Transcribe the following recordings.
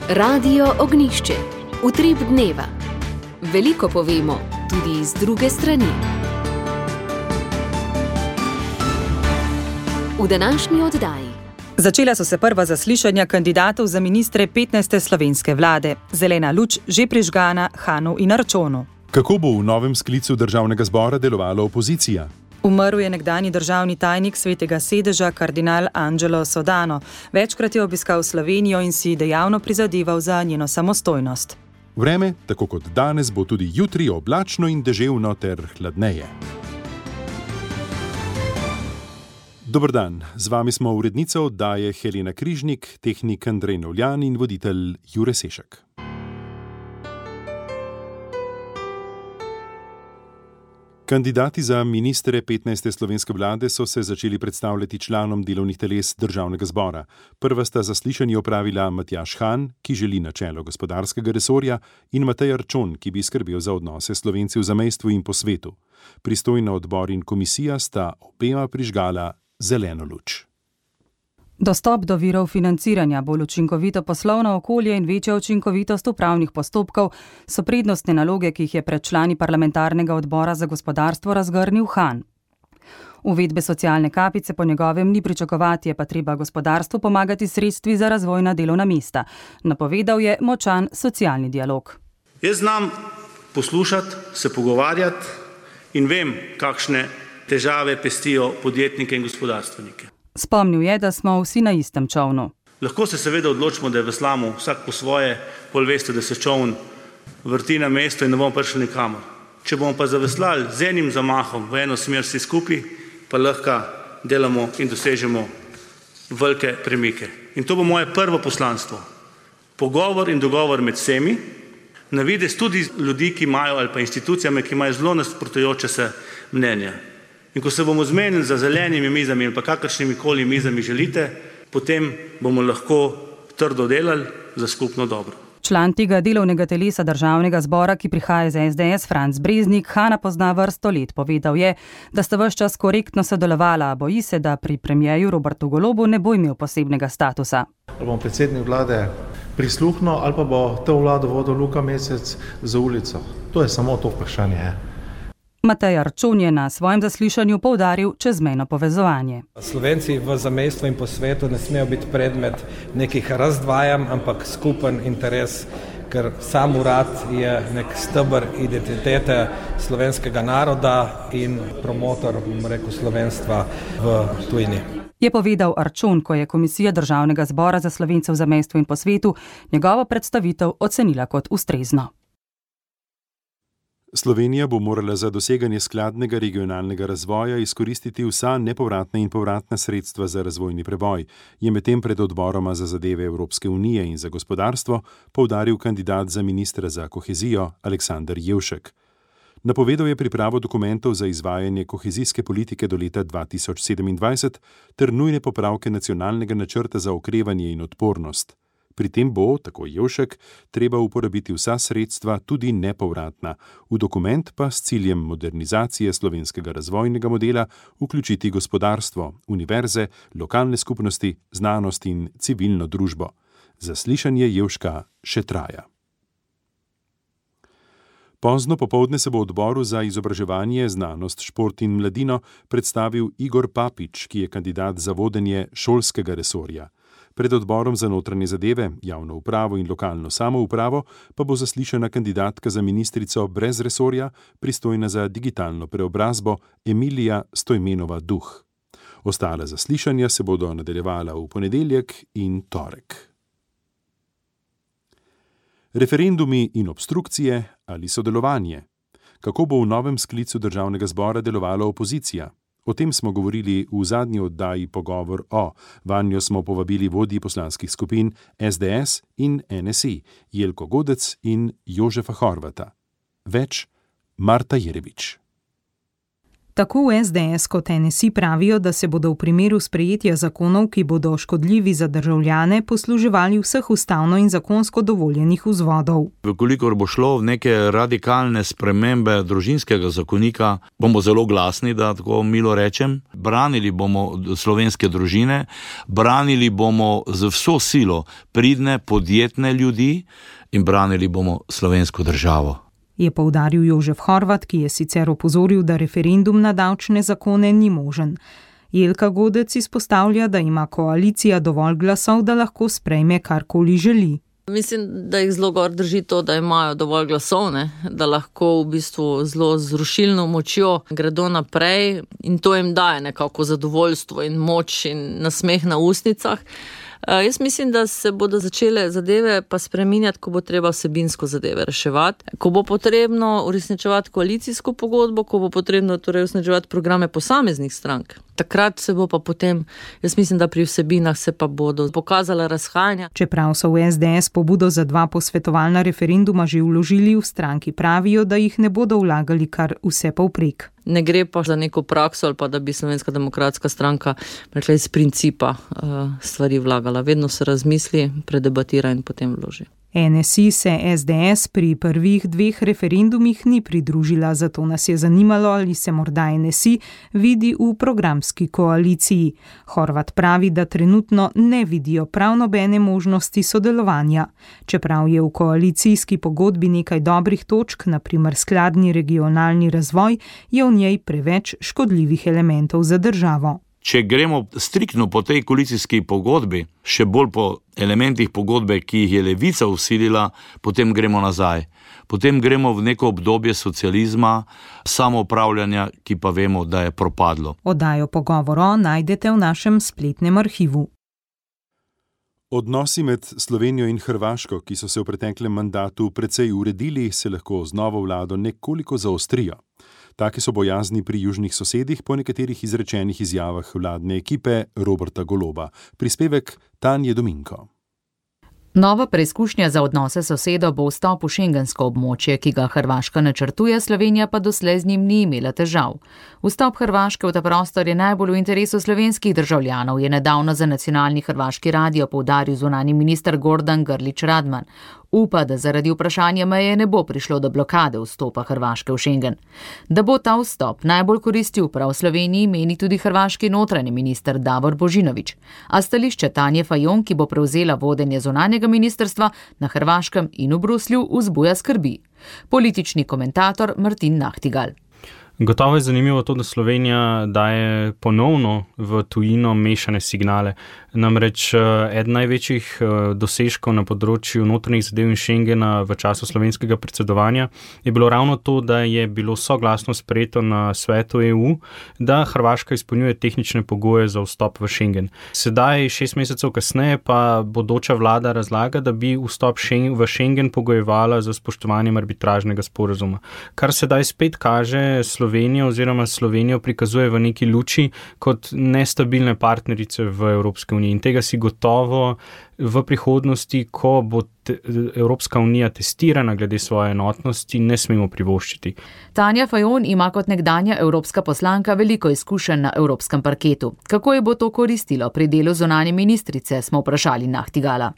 Radio Ognišče, utrip dneva. Veliko povemo, tudi iz druge strani. V današnji oddaji. Začela so se prva zaslišanja kandidatov za ministre 15. slovenske vlade. Zelena luč že prižgana Hanu in Arčonu. Kako bo v novem sklicu državnega zbora delovala opozicija? Umrl je nekdanji državni tajnik Svetega sedeža kardinal Angelo Sodano. Večkrat je obiskal Slovenijo in si dejavno prizadeval za njeno samostojnost. Vreme, tako kot danes, bo tudi jutri oblačno in deževno ter hladneje. Dober dan, z vami smo urednica oddaje Helena Križnik, tehnik Andrej Novljan in voditelj Jure Sešek. Kandidati za ministre 15. slovenske vlade so se začeli predstavljati članom delovnih teles državnega zbora. Prva sta zaslišanje opravila Matjaž Han, ki želi na čelo gospodarskega resorja, in Matej Arčon, ki bi skrbel za odnose s Slovenci v zamejstvu in po svetu. Pristojna odbor in komisija sta obema prižgala zeleno luč. Dostop do virov financiranja, bolj učinkovito poslovno okolje in večja učinkovitost upravnih postopkov so prednostne naloge, ki jih je pred člani parlamentarnega odbora za gospodarstvo razgrnil Han. Uvedbe socialne kapice po njegovem ni pričakovati, je pa treba gospodarstvu pomagati sredstvi za razvojna delovna mesta. Napovedal je močan socialni dialog. Jaz znam poslušati, se pogovarjati in vem, kakšne težave pestijo podjetnike in gospodarstvenike. Spomnil je, da smo vsi na istem čovnu. Lahko se seveda odločimo, da je veslamo vsak po svoje, pol veste, da se čovn vrti na mesto in ne bomo prišli nikamor. Če bomo pa zaveslali z enim zamahom v eno smer vsi skupaj, pa lahko delamo in dosežemo velike premike. In to bo moje prvo poslanstvo. Pogovor in dogovor med vsemi, na videz tudi ljudi, ki imajo, ali pa institucijami, ki imajo zelo nasprotujoče se mnenja. In ko se bomo zmenili za zelenimi mizami ali pa kakršnimi koli mizami želite, potem bomo lahko trdo delali za skupno dobro. Član tega delovnega telesa državnega zbora, ki prihaja iz SDS, Franc Breznik, Hana pozna vrsto let. Povedal je, da sta ves čas korektno sodelovala, a boji se, da pri premierju Robertu Golobu ne bo imel posebnega statusa. Ali bom predsednik vlade prisluhnil ali pa bo to vlado vodil Luka Mesec za ulico. To je samo to vprašanje. Matej Arčon je na svojem zaslišanju poudaril čezmejno povezovanje. Slovenci v zamejstvu in po svetu ne smejo biti predmet nekih razdvajanj, ampak skupen interes, ker sam urad je nek steber identitete slovenskega naroda in promotor, slovenstva v tujini. Je povedal Arčon, ko je Komisija Državnega zbora za Slovence v zamejstvu in po svetu njegovo predstavitev ocenila kot ustrezno. Slovenija bo morala za doseganje skladnega regionalnega razvoja izkoristiti vsa nepovratna in povratna sredstva za razvojni preboj, je medtem pred odboroma za zadeve Evropske unije in za gospodarstvo poudaril kandidat za ministra za kohezijo Aleksander Jevšek. Napovedal je pripravo dokumentov za izvajanje kohezijske politike do leta 2027 ter nujne popravke nacionalnega načrta za okrevanje in odpornost. Pri tem bo, tako Jevšek, treba uporabiti vsa sredstva, tudi nepovratna, v dokument pa s ciljem modernizacije slovenskega razvojnega modela vključiti gospodarstvo, univerze, lokalne skupnosti, znanost in civilno družbo. Zaslišanje Jevška še traja. Pozno popoldne se bo odboru za izobraževanje, znanost, šport in mladino predstavil Igor Papič, ki je kandidat za vodenje šolskega resorja. Pred odborom za notranje zadeve, javno upravo in lokalno samoupravo pa bo zaslišana kandidatka za ministrico brez resorja, pristojna za digitalno preobrazbo Emilija Stojmenova Duh. Ostala zaslišanja se bodo nadaljevala v ponedeljek in torek. Referendumi in obstrukcije ali sodelovanje? Kako bo v novem sklicu državnega zbora delovala opozicija? O tem smo govorili v zadnji oddaji Pogovor o. Vanjo smo povabili vodji poslanskih skupin SDS in NSI, Jelko Godec in Jožefa Horvata. Več Marta Jerebič. Tako v SDS kot NSI pravijo, da se bodo v primeru sprejetja zakonov, ki bodo škodljivi za državljane, posluževali vseh ustavno in zakonsko dovoljenih vzvodov. Vkolikor bo šlo v neke radikalne spremembe družinskega zakonika, bomo zelo glasni, da tako milo rečem. Branili bomo slovenske družine, branili bomo z vso silo pridne, podjetne ljudi in branili bomo slovensko državo. Je poudaril Jožef Horvat, ki je sicer opozoril, da referendum na davčne zakone ni možen. Jelka Godec izpostavlja, da ima koalicija dovolj glasov, da lahko sprejme karkoli želi. Mislim, da jih zelo gor drži to, da imajo dovolj glasov, da lahko v bistvu zelo z rušilno močjo gredo naprej in to jim daje nekako zadovoljstvo in moč in nasmeh na ustnicah. Jaz mislim, da se bodo začele zadeve pa spreminjati, ko bo treba vsebinsko zadeve reševati. Ko bo potrebno uresničevati koalicijsko pogodbo, ko bo potrebno torej uresničevati programe posameznih strank. Takrat se bo pa potem, jaz mislim, da pri vsebinah se pa bodo pokazala razhajanja. Čeprav so v SDS pobudo za 2 posvetovalna referenduma že vložili, v stranki pravijo, da jih ne bodo vlagali kar vse povprek. Ne gre pa za neko prakso ali pa da bi Slovenska demokratska stranka rekla iz principa stvari vlagala. Vedno se razmisli, predebatira in potem vloži. NSI se SDS pri prvih 2 referendumih ni pridružila, zato nas je zanimalo, ali se morda NSI vidi v programski koaliciji. Horvat pravi, da trenutno ne vidijo prav nobene možnosti sodelovanja. Čeprav je v koalicijski pogodbi nekaj dobrih točk, na primer skladni regionalni razvoj, je v njej preveč škodljivih elementov za državo. Če gremo striktno po tej koalicijski pogodbi, še bolj po elementih pogodbe, ki jih je Levica vsilila, potem gremo nazaj. Potem gremo v neko obdobje socializma, samoupravljanja, ki pa vemo, da je propadlo. Oddajo Pogovoro najdete v našem spletnem arhivu. Odnosi med Slovenijo in Hrvaško, ki so se v preteklem mandatu precej uredili, se lahko z novo vlado nekoliko zaostrijo. Taki so bojazni pri južnih sosedih po nekaterih izrečenih izjavah vladne ekipe Roberta Goloba. Prispevek Tanje Dominko. Nova preizkušnja za odnose sosedo bo vstop v šengensko območje, ki ga Hrvaška načrtuje, Slovenija pa doslej z njim ni imela težav. Vstop Hrvaške v ta prostor je najbolj v interesu slovenskih državljanov, je nedavno za nacionalni hrvaški radio poudaril zunanji minister Gordan Grlić Radman. Upa, da zaradi vprašanja meje ne bo prišlo do blokade vstopa Hrvaške v Schengen. Da bo ta vstop najbolj koristil prav Sloveniji, meni tudi hrvaški notranji minister Davor Božinović. A stališče Tanje Fajon, ki bo prevzela vodenje zunanjega ministrstva na Hrvaškem in v Bruslju, vzbuja skrbi. Politični komentator Martin Nahtigal. Gotovo je zanimivo to, da Slovenija daje ponovno v tujino mešane signale. Namreč eden največjih dosežkov na področju notranjih zadev in Schengena v času slovenskega predsedovanja je bilo ravno to, da je bilo soglasno sprejeto na svetu EU, da Hrvaška izpolnjuje tehnične pogoje za vstop v Schengen. Sedaj, 6 mesecev kasneje, pa bodoča vlada razlaga, da bi vstop v Schengen pogojevala za spoštovanjem arbitražnega sporazuma. Kar sedaj spet kaže Slovenijo prikazuje v neki luči kot nestabilne partnerice v Evropske unije. In tega si gotovo v prihodnosti, ko bo Evropska unija testirana glede svoje enotnosti, ne smemo privoščiti. Tanja Fajon ima kot nekdanja evropska poslanka veliko izkušenj na evropskem parketu. Kako je bo to koristilo pri delu zunanje ministrice, smo vprašali Nahtigala.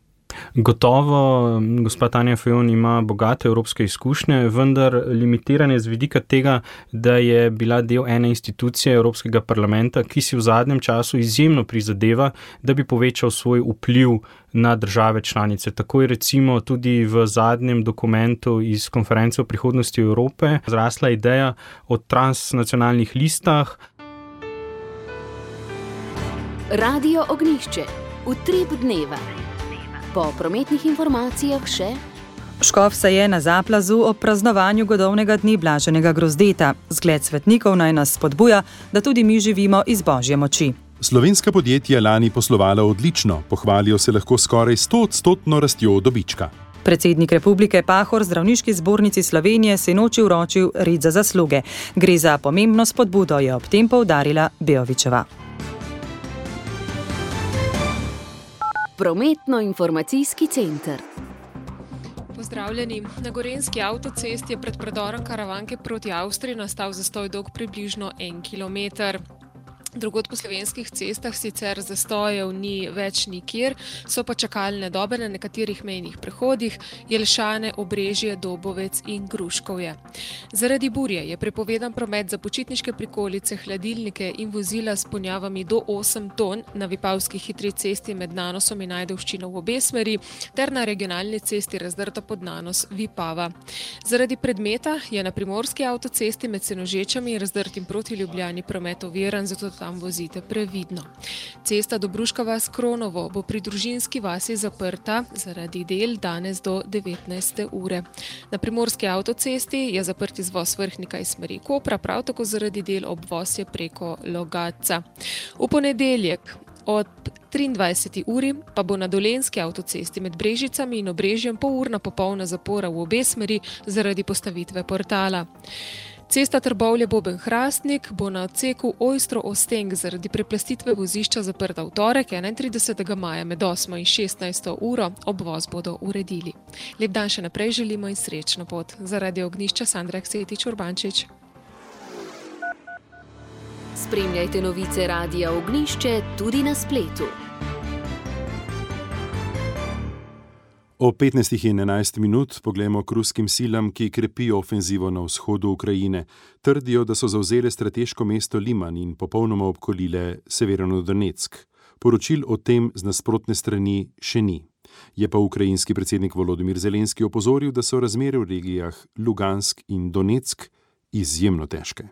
Gotovo, gospa Tanja Fajon ima bogate evropske izkušnje, vendar limitiranje z vidika tega, da je bila del ene institucije Evropskega parlamenta, ki si v zadnjem času izjemno prizadeva, da bi povečal svoj vpliv na države članice. Tako je recimo tudi v zadnjem dokumentu iz konference o prihodnosti Evrope zrasla ideja o transnacionalnih listah. Radio Ognjišče. Utrip dneva. Po prometnih informacijah še. Škof se je na Zaplazu ob praznovanju godovnega dne Blaženega Grozdeta. Zgled svetnikov naj nas spodbuja, da tudi mi živimo iz Božje moči. Slovenska podjetja lani poslovala odlično, pohvalijo se lahko skoraj 100% rastjo dobička. Predsednik Republike Pahor Zdravniški zbornici Slovenije se noči vročil red za zasluge. Gre za pomembno spodbudo, je ob tem poudarila Beovičeva. Prometno-informacijski center. Pozdravljeni. Na gorenjski avtocesti je pred predorom Karavanke proti Avstriji nastal zastoj dolg približno 1 kilometer. Drugod po slovenskih cestah sicer zastojev ni več nikjer, so pa čakalne dobe na nekaterih mejnih prehodih, Jelšane, Obrežje, Dobovec in Gruškovje. Zaradi burje je prepovedan promet za počitniške prikolice, hladilnike in vozila s ponjavami do 8 ton na Vipavski hitri cesti med Nanosom in Ajdovščino v obe smeri ter na regionalni cesti razdrta pod Nanos Vipava. Zaradi predmeta je na primorski avtocesti med Senožečami in razdrtim proti Ljubljani promet oviran, zato tam vozite previdno. Cesta Dobruška vas Kronovo bo pri Družinski vasi zaprta zaradi del danes do 19. ure. Na primorski avtocesti je zaprt izvoz Vrhnika iz smeri Kopra, prav tako zaradi del obvoz je preko Logatca. V ponedeljek od 23. uri pa bo na Dolenjski avtocesti med Brežicami in Obrežjem polurna popolna zapora v obe smeri zaradi postavitve portala. Cesta Trbovlje-Boben-Hrastnik bo na odseku Ojstro-Osteng zaradi preplastitve vozišča zaprta v torek 31. maja med 8. in 16. uro, obvoz bodo uredili. Lep dan še naprej želimo in srečno pot. Zaradi Ognjišča Sandra Ksetič-Urbančič. Spremljajte novice Radia Ognjišče tudi na spletu. O 15:11 poglejmo k ruskim silam, ki krepijo ofenzivo na vzhodu Ukrajine. Trdijo, da so zavzele strateško mesto Liman in popolnoma obkolile Severodonetsk. Poročil o tem z nasprotne strani še ni. Je pa ukrajinski predsednik Volodymyr Zelenski opozoril, da so razmere v regijah Lugansk in Donetsk izjemno težke.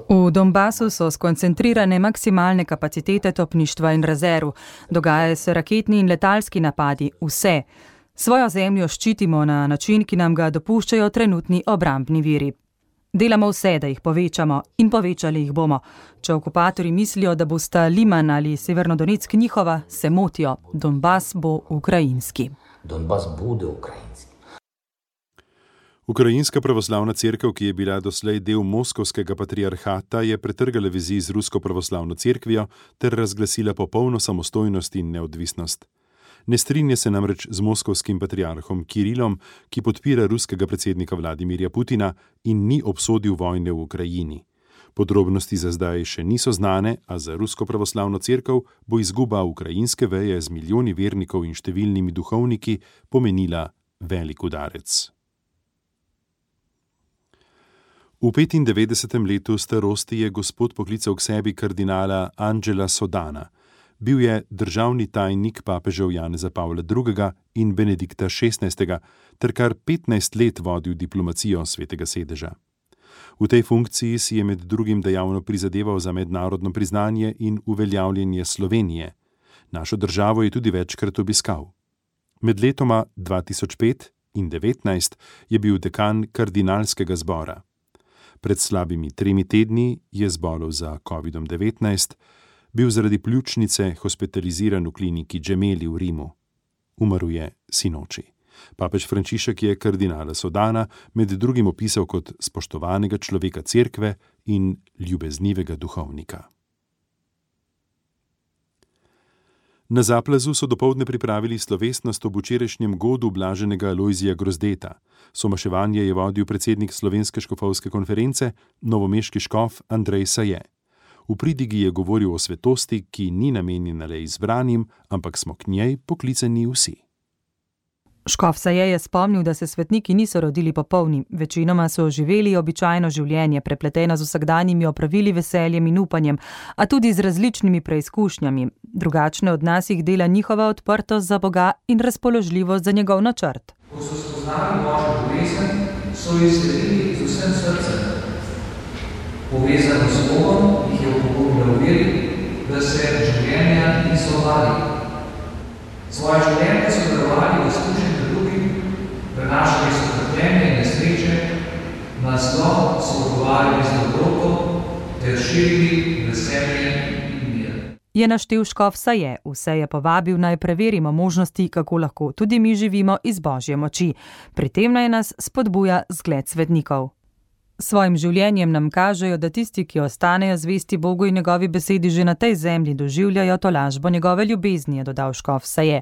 V Donbasu so skoncentrirane maksimalne kapacitete topništva in rezerv. Dogajajo se raketni in letalski napadi, vse. Svojo zemljo ščitimo na način, ki nam ga dopuščajo trenutni obrambni viri. Delamo vse, da jih povečamo in povečali jih bomo. Če okupatorji mislijo, da bosta Liman ali Severnodonetsk njihova, se motijo. Donbas bo ukrajinski. Donbas bude ukrajinski. Ukrajinska pravoslavna cerkev, ki je bila doslej del moskovskega patriarhata, je pretrgala vezi z rusko pravoslavno cerkvijo ter razglasila popolno samostojnost in neodvisnost. Ne strinja se namreč z moskovskim patriarhom Kirilom, ki podpira ruskega predsednika Vladimirja Putina in ni obsodil vojne v Ukrajini. Podrobnosti za zdaj še niso znane, a za rusko pravoslavno cerkev bo izguba ukrajinske veje z milijoni vernikov in številnimi duhovniki pomenila velik udarec. V 95. letu starosti je gospod poklical k sebi kardinala Angela Sodana. Bil je državni tajnik papežev Janeza Pavla II. In Benedikta XVI. Ter kar 15 let vodil diplomacijo Svetega sedeža. V tej funkciji si je med drugim dejavno prizadeval za mednarodno priznanje in uveljavljanje Slovenije. Našo državo je tudi večkrat obiskal. Med letoma 2005 in 2019 je bil dekan kardinalskega zbora. Pred slabimi 3 tedni je zbolel za COVID-19, bil zaradi pljučnice hospitaliziran v kliniki Gemelli v Rimu. Umrl je sinoči. Papež Frančišek je kardinala Sodana med drugim opisal kot spoštovanega človeka cerkve in ljubeznivega duhovnika. Na Zaplazu so dopoldne pripravili slovesnost ob včerajšnjem godu blaženega Alojzija Grozdeta. Somaševanje je vodil predsednik Slovenske škofovske konference, novomeški škof Andrej Saje. V pridigi je govoril o svetosti, ki ni namenjena le izbranim, ampak smo k njej poklicani vsi. Škof Saje je spomnil, da se svetniki niso rodili popolni. Večinoma so živeli običajno življenje, prepleteno z vsakdanjimi opravili, veseljem in upanjem, a tudi z različnimi preizkušnjami. Drugačne od nas jih dela njihova odprtost za Boga in razpoložljivost za njegov načrt. Ko so spoznali Božjo ljubezen, so jo sledili z vsem srcem. Povezano s Bogom jih je opogumilo v veri, da se življenja niso bali. Svoje življenje so darovali v služenju drugim, prenašali so trpljenje in nesreče, na zlo so odgovarjali z dobroto ter širili veselje in mir. Je naštel škof Saje, vse je povabil naj preverimo možnosti, kako lahko tudi mi živimo iz Božje moči. Pri tem naj nas spodbuja zgled svetnikov. Svojim življenjem nam kažejo, da tisti, ki ostanejo zvesti Bogu in njegovi besedi, že na tej zemlji doživljajo tolažbo njegove ljubezni, je dodal škof Saje.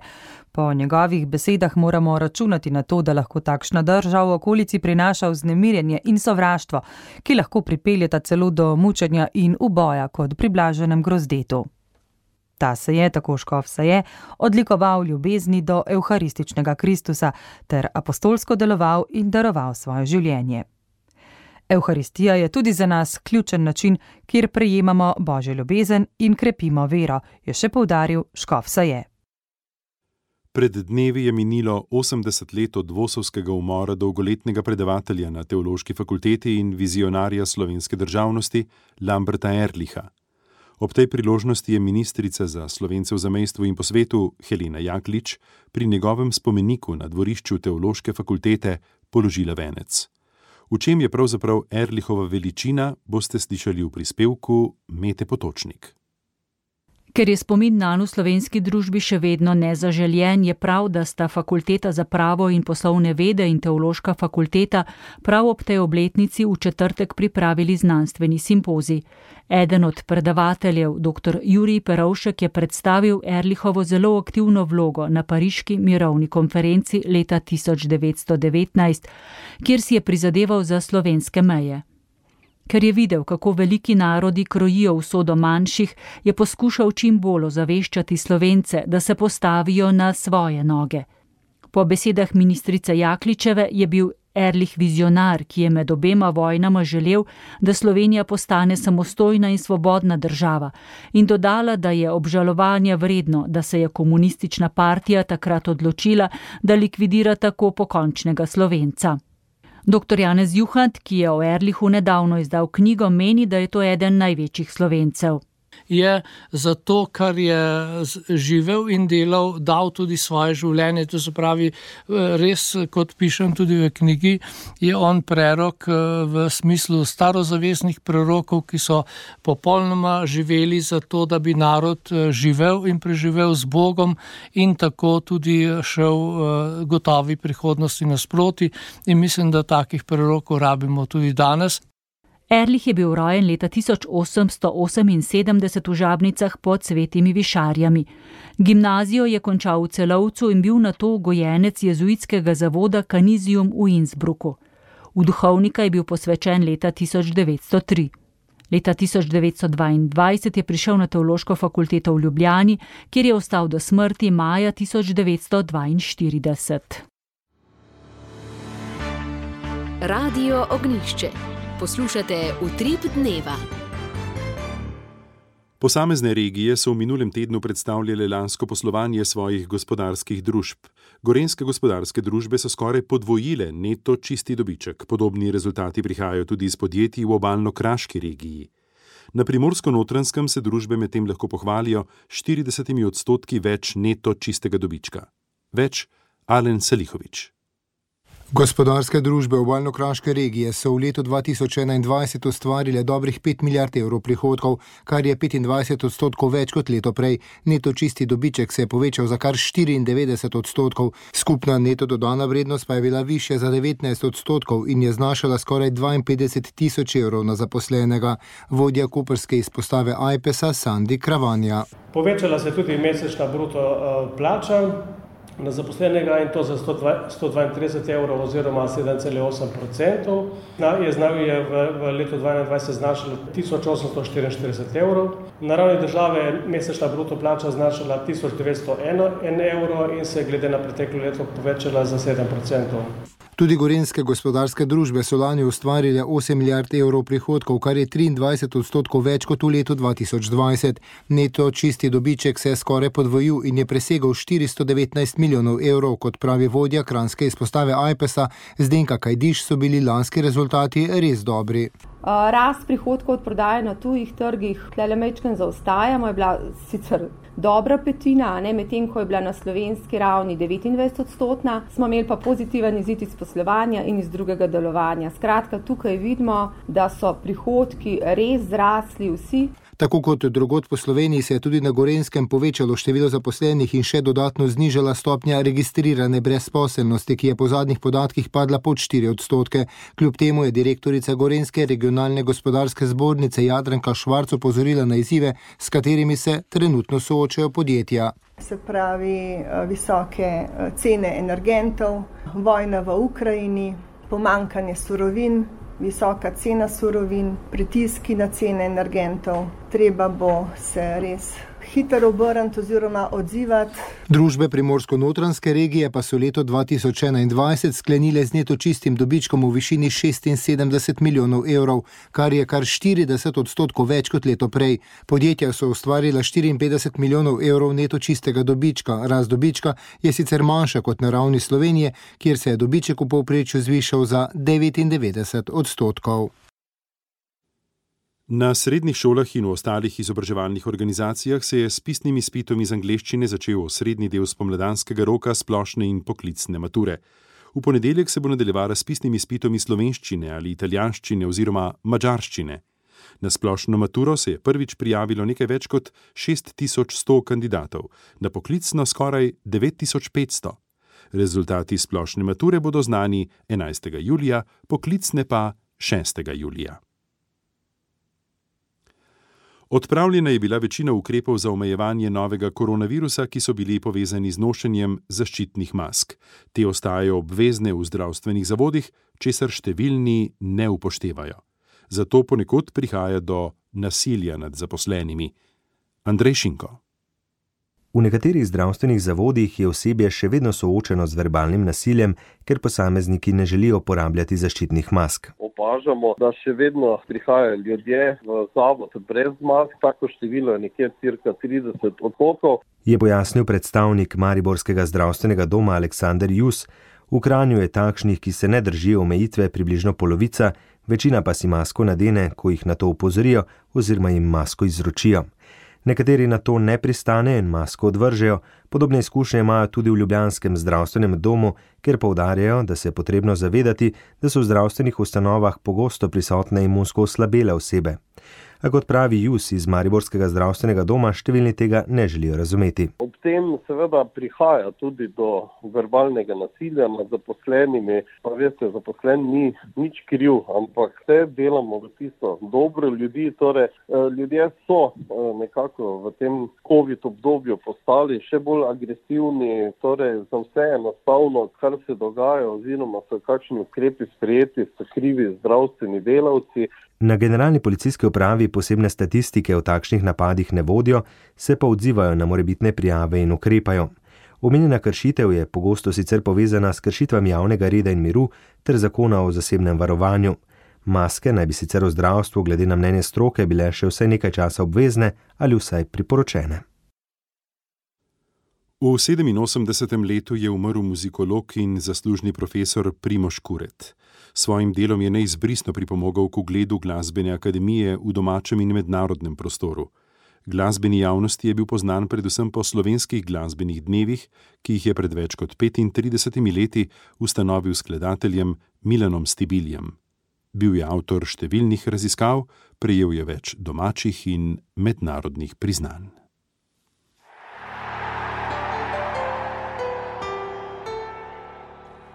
Po njegovih besedah moramo računati na to, da lahko takšna drža v okolici prinaša vznemirjenje in sovraštvo, ki lahko pripeljeta celo do mučenja in uboja kot pri blaženem grozdetu. Ta se je, tako škof Saje, odlikoval ljubezni do evharističnega Kristusa ter apostolsko deloval in daroval svoje življenje. Evharistija je tudi za nas ključen način, kjer prejemamo Božjo ljubezen in krepimo vero, je še poudaril škof Saje. Pred dnevi je minilo 80 let od Vosovskega umora dolgoletnega predavatelja na Teološki fakulteti in vizionarja slovenske državnosti Lamberta Erlicha. Ob tej priložnosti je ministrica za Slovence v zamejstvu in po svetu Helena Jaklič pri njegovem spomeniku na dvorišču Teološke fakultete položila venec. V čem je pravzaprav Erlichova veličina, boste slišali v prispevku Mete Potočnik. Ker je spomin nanj v slovenski družbi še vedno nezaželjen, je prav, da sta Fakulteta za pravo in poslovne vede in Teološka fakulteta prav ob tej obletnici v četrtek pripravili znanstveni simpozij. Eden od predavateljev, dr. Jurij Perovšek, je predstavil Erlichovo zelo aktivno vlogo na Pariški mirovni konferenci leta 1919, kjer si je prizadeval za slovenske meje. Ker je videl, kako veliki narodi krojijo usodo manjših, je poskušal čim bolj ozaveščati Slovence, da se postavijo na svoje noge. Po besedah ministrice Jakličeve je bil Erlich vizionar, ki je med obema vojnama želel, da Slovenija postane samostojna in svobodna država, in dodala, da je obžalovanja vredno, da se je komunistična partija takrat odločila, da likvidira tako pokončnega Slovenca. Dr. Janez Juhant, ki je o Erlichu nedavno izdal knjigo, meni, da je to eden največjih Slovencev. Je zato, kar je živel in delal, dal tudi svoje življenje. To se pravi, res, kot pišem tudi v knjigi, je on prerok v smislu starozavestnih prerokov, ki so popolnoma živeli za to, da bi narod živel in preživel z Bogom in tako tudi šel gotovi prihodnosti nasproti. In mislim, da takih prerokov rabimo tudi danes. Erlich je bil rojen leta 1878 v Žabnicah pod Svetimi Višarjami. Gimnazijo je končal v Celovcu in bil nato gojenec jezuitskega zavoda Canisium v Innsbrucku. V duhovnika je bil posvečen leta 1903. Leta 1922 je prišel na Teološko fakulteto v Ljubljani, kjer je ostal do smrti maja 1942. Radio Ognjišče. Poslušate Utrip dneva. Posamezne regije so v minulem tednu predstavljale lansko poslovanje svojih gospodarskih družb. Gorenjske gospodarske družbe so skoraj podvojile neto čisti dobiček. Podobni rezultati prihajajo tudi iz podjetij v obalno-kraški regiji. Na Primorsko-Notranjskem se družbe medtem lahko pohvalijo 40% več neto čistega dobička. Več Alen Salihovič. Gospodarske družbe obalno-kraške regije so v letu 2021 ustvarile dobrih 5 milijard evrov prihodkov, kar je 25% več kot leto prej. Neto čisti dobiček se je povečal za kar 94%. Skupna neto dodana vrednost pa je bila višja za 19% in je znašala skoraj 52 tisoč evrov na zaposlenega. Vodja koprske izpostave Ajpesa Sandi Kravanja. Povečala se je tudi mesečna bruto plača na zaposlenega in to za 132 evrov oziroma 7,8%. Je v letu 2021 znašala 1844 evrov. Na ravni države je mesečna bruto plača znašala 1901 evrov in se je glede na preteklo leto povečala za 7%. Tudi gorenjske gospodarske družbe so lani ustvarile 8 milijard evrov prihodkov, kar je 23% več kot v letu 2020. Neto čisti dobiček se je skoraj podvojil in je presegal 419 milijonov evrov, kot pravi vodja kranjske izpostave Ajpesa Zdenka Kajdiš, so bili lanski rezultati res dobri. Rast prihodkov od prodaje na tujih trgih, tlele mečken zaostajamo, je bila sicer dobra petina, medtem ko je bila na slovenski ravni 29%, smo imeli pa pozitiven izid iz poslovanja in iz drugega delovanja. Skratka, tukaj vidimo, da so prihodki res zrasli vsi. Tako kot drugod po Sloveniji se je tudi na Gorenjskem povečalo število zaposlenih in še dodatno znižala stopnja registrirane brezposelnosti, ki je po zadnjih podatkih padla pod 4%. Kljub temu je direktorica Gorenjske regionalne gospodarske zbornice Jadranka Švarc opozorila na izzive, s katerimi se trenutno soočajo podjetja. Se pravi, visoke cene energentov, vojna v Ukrajini, pomanjkanje surovin, visoka cena surovin, pritiski na cene energentov. Treba bo se res hitro obrniti oziroma odzivati. Družbe Primorsko-notranjske regije pa so leto 2021 sklenile z neto čistim dobičkom v višini 76 milijonov evrov, kar je kar 40% več kot leto prej. Podjetja so ustvarila 54 milijonov evrov neto čistega dobička. Rast dobička je sicer manjša kot na ravni Slovenije, kjer se je dobiček v povprečju zvišal za 99%. Na srednjih šolah in v ostalih izobraževalnih organizacijah se je s pisnim izpitom iz angleščine začel osrednji del spomladanskega roka splošne in poklicne mature. V ponedeljek se bo nadaljevala s pisnim izpitom iz slovenščine ali italijanščine oziroma madžarščine. Na splošno maturo se je prvič prijavilo nekaj več kot 6100 kandidatov, na poklicno skoraj 9500. Rezultati splošne mature bodo znani 11. julija, poklicne pa 6. julija. Odpravljena je bila večina ukrepov za omejevanje novega koronavirusa, ki so bili povezani z nošenjem zaščitnih mask. Te ostajajo obvezne v zdravstvenih zavodih, česar številni ne upoštevajo. Zato ponekod prihaja do nasilja nad zaposlenimi. Andrej Šinko. V nekaterih zdravstvenih zavodih je osebje še vedno soočeno z verbalnim nasiljem, ker posamezniki ne želijo uporabljati zaščitnih mask. Opažamo, da še vedno prihajajo ljudje v zavod brez mask, tako število je nekje cirka 30%. Je pojasnil predstavnik Mariborskega zdravstvenega doma Aleksander Jus. V Kranju je takšnih, ki se ne držijo omejitve, približno polovica, večina pa si masko nadene, ko jih na to opozorijo oziroma jim masko izročijo. Nekateri na to ne pristanejo in masko odvržejo. Podobne izkušnje imajo tudi v ljubljanskem zdravstvenem domu, kjer poudarjajo, da se je potrebno zavedati, da so v zdravstvenih ustanovah pogosto prisotne imunsko oslabele osebe. A kot pravi Jus iz Mariborskega zdravstvenega doma, številni tega ne želijo razumeti. Ob tem seveda prihaja tudi do verbalnega nasilja med zaposlenimi. Pa veste, zaposlen ni nič kriv, ampak vse delamo v tisto dobro ljudi. Torej, ljudje so nekako v tem COVID obdobju postali še bolj agresivni. Torej, za vse enostavno, kar se dogaja oziroma so kakšni ukrepi sprejeti, so krivi zdravstveni delavci. Na generalni policijski upravi posebne statistike o takšnih napadih ne vodijo, se pa odzivajo na morebitne prijave in ukrepajo. Omenjena kršitev je pogosto sicer povezana s kršitvami javnega reda in miru ter zakona o zasebnem varovanju. Maske naj bi sicer v zdravstvu glede na mnenje stroke bile še vsaj nekaj časa obvezne ali vsaj priporočene. V 87. letu je umrl muzikolog in zaslužni profesor Primož Kuret. Svojim delom je neizbrisno pripomogel k ugledu glasbene akademije v domačem in mednarodnem prostoru. Glasbeni javnosti je bil poznan predvsem po slovenskih glasbenih dnevih, ki jih je pred več kot 35 leti ustanovil s skladateljem Milanom Stibiljem. Bil je avtor številnih raziskav, prejel je več domačih in mednarodnih priznanj.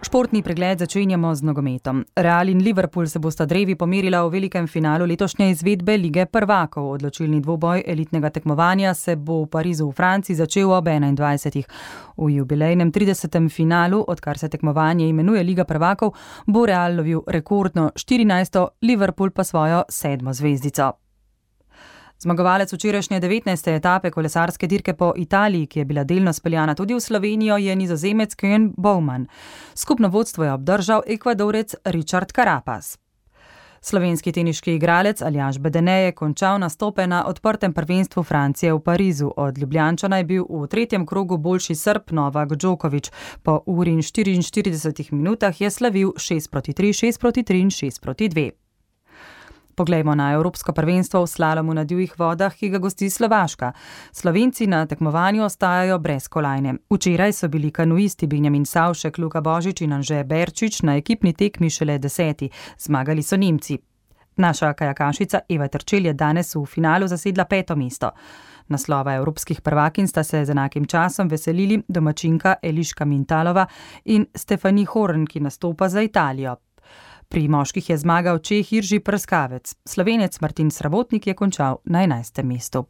Športni pregled začenjamo z nogometom. Real in Liverpool se bosta drevi pomerila v velikem finalu letošnje izvedbe Lige prvakov. Odločilni dvoboj elitnega tekmovanja se bo v Parizu v Franciji začel ob 21. V jubilejnem 30. finalu, odkar se tekmovanje imenuje Liga prvakov, bo Real lovil rekordno 14., Liverpool pa svojo 7. zvezdico. Zmagovalec včerajšnje 19. etape kolesarske dirke po Italiji, ki je bila delno speljana tudi v Slovenijo, je Nizozemec Koen Bouwman. Skupno vodstvo je obdržal Ekvadorec Richard Carapaz. Slovenski teniški igralec Aljaž Bedene je končal nastope na odprtem prvenstvu Francije v Parizu. Od Ljubljančana je bil v tretjem krogu boljši Srb Novak Djokovic. Po uri in 44 minutah je slavil 6-3, 6-3 in 6-2. Poglejmo na Evropsko prvenstvo v slalomu na divjih vodah, ki ga gosti Slovaška. Slovenci na tekmovanju ostajajo brez kolajne. Včeraj so bili kanuisti Benjamin Savšek, Luka Božič in Anže Berčič na ekipni tekmi šele 10. Zmagali so Nemci. Naša kajakašica Eva Terčelj je danes v finalu zasedla 5. mesto. Naslova evropskih prvakinj sta se z enakim časom veselili domačinka Eliška Mintalova in Stefani Horn, ki nastopa za Italijo. Pri moških je zmagal Čeh Irži Prskavec. Slovenec Martin Srabotnik je končal na 11. mestu.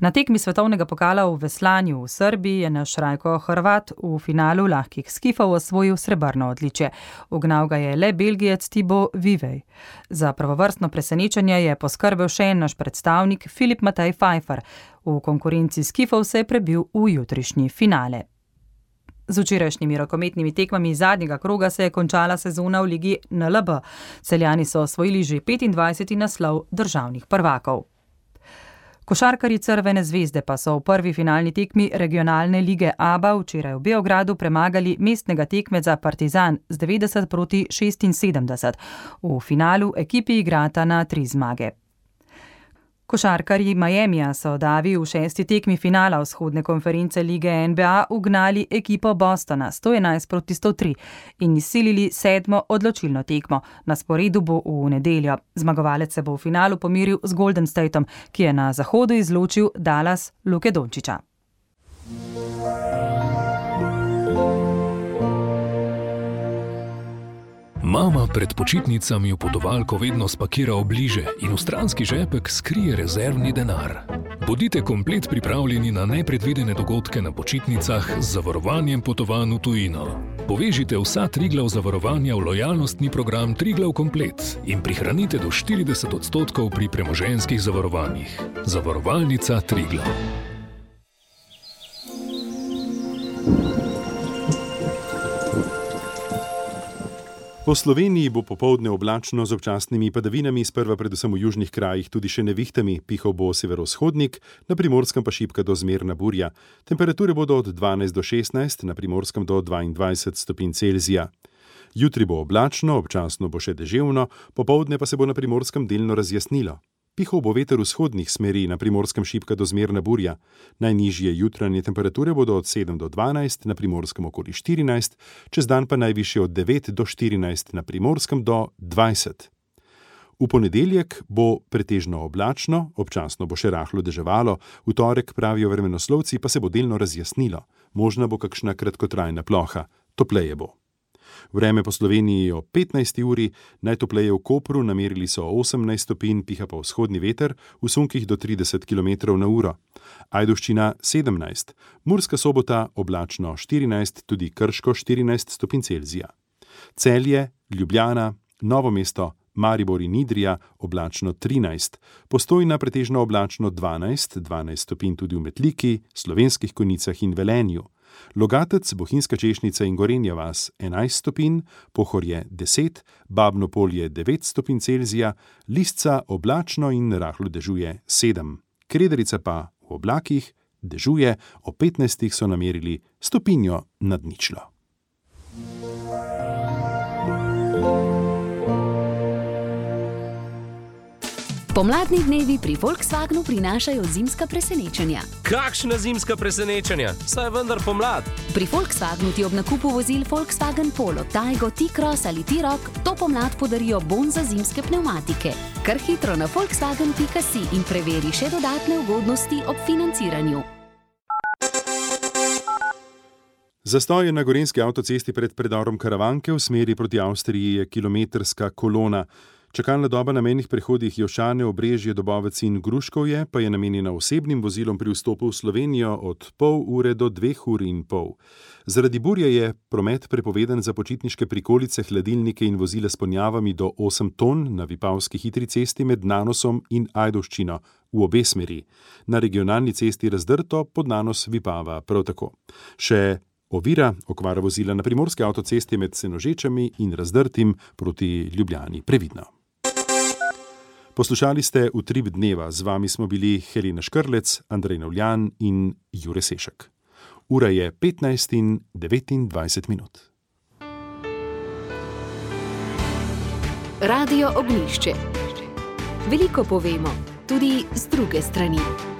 Na tekmi svetovnega pokala v veslanju v Srbiji je naš Rajko Hrvat v finalu lahkih skifov osvojil srebrno odličje. Ugnal ga je le Belgijec Thibaut Vivej. Za prvovrstno presenečenje je poskrbel še en naš predstavnik Filip Matej Pfeiffer. V konkurenci skifov se je prebil v jutrišnji finale. Z včerajšnjimi rokometnimi tekmami zadnjega kroga se je končala sezona v ligi NLB. Celjani so osvojili že 25. naslov državnih prvakov. Košarkarji Crvene zvezde pa so v prvi finalni tekmi regionalne lige ABA včeraj v Beogradu premagali mestnega tekmeca Partizan z 90-76. V finalu ekipi igrata na 3 zmage. Košarkarji Miamija so davi v 6. tekmi finala vzhodne konference lige NBA ugnali ekipo Bostona 111-103 in izsilili 7. odločilno tekmo. Na sporedu bo v nedeljo. Zmagovalec se bo v finalu pomiril z Golden Stateom, ki je na zahodu izločil Dallas Luke Dončića. Mama pred počitnicami v potovalko vedno spakira obliže in v stranski žepek skrije rezervni denar. Bodite komplet pripravljeni na nepredvidene dogodke na počitnicah z zavarovanjem potovanj v tujino. Povežite vsa Triglav zavarovanja v lojalnostni program Triglav Komplet in prihranite do 40% pri premoženjskih zavarovanjih. Zavarovalnica Triglav. Po Sloveniji bo popoldne oblačno z občasnimi padavinami, sprva predvsem v južnih krajih tudi še nevihtami, pihal bo severovzhodnik, na Primorskem pa šibka do zmerna burja. Temperature bodo od 12 do 16, na Primorskem do 22 stopinj Celzija. Jutri bo oblačno, občasno bo še deževno, popoldne pa se bo na Primorskem delno razjasnilo. Pihal bo veter vzhodnih smeri, na Primorskem šibka do zmerna burja. Najnižje jutranje temperature bodo od 7 do 12, na Primorskem okoli 14, čez dan pa najvišje od 9 do 14, na Primorskem do 20. V ponedeljek bo pretežno oblačno, občasno bo še rahlo deževalo, v torek, pravijo vremenoslovci, pa se bo delno razjasnilo. Možna bo kakšna kratkotrajna ploha, topleje bo. Vreme po Sloveniji o 15. uri, najtopleje v Kopru, namerili so 18 stopinj, piha pa vzhodni veter, v sunkih do 30 km na uro. Ajdovščina 17, Murska Sobota oblačno 14, tudi Krško 14 stopinj Celzija. Celje, Ljubljana, Novo mesto, Maribor in Idrija oblačno 13, Postojna pretežno oblačno 12 stopinj tudi v Metliki, Slovenskih Konjicah in Velenju. Logatec, Bohinjska Češnica in Gorenja vas 11 stopinj, Pohorje 10, Babno Polje 9 stopinj Celzija, Lisca oblačno in rahlo dežuje 7. Krederica pa v oblakih dežuje, o 15 so namerili stopinjo nad ničlo. Pomladni dnevi pri Volkswagenu prinašajo zimska presenečenja. Kakšna zimska presenečenja? Saj je vendar pomlad. Pri Volkswagenu ti ob nakupu vozil Volkswagen Polo, Taigo, T-Cross ali T-Roc to pomlad podarijo bon za zimske pnevmatike. Kar hitro na volkswagen.si in preveri še dodatne ugodnosti ob financiranju. Zastoj na gorenjski avtocesti pred predorom Karavanke v smeri proti Avstriji je kilometrska kolona. Čakalna doba na mejnih prehodih Jošane, Obrežje, Dobovec in Gruškovje pa je namenjena osebnim vozilom pri vstopu v Slovenijo od pol ure do 2 uri in pol. Zaradi burje je promet prepovedan za počitniške prikolice, hladilnike in vozile s ponjavami do 8 ton na Vipavski hitri cesti med Nanosom in Ajdovščino v obe smeri. Na regionalni cesti Razdrto pod Nanos Vipava prav tako. Še ovira okvara vozila na primorski avtocesti med Senožečami in Razdrtim proti Ljubljani. Previdno. Poslušali ste Utrip dneva, z vami smo bili Helena Škrlec, Andrej Navljan in Jure Sešek. Ura je 15:29 minut. Radio Ognjišče. Veliko povemo, tudi z druge strani.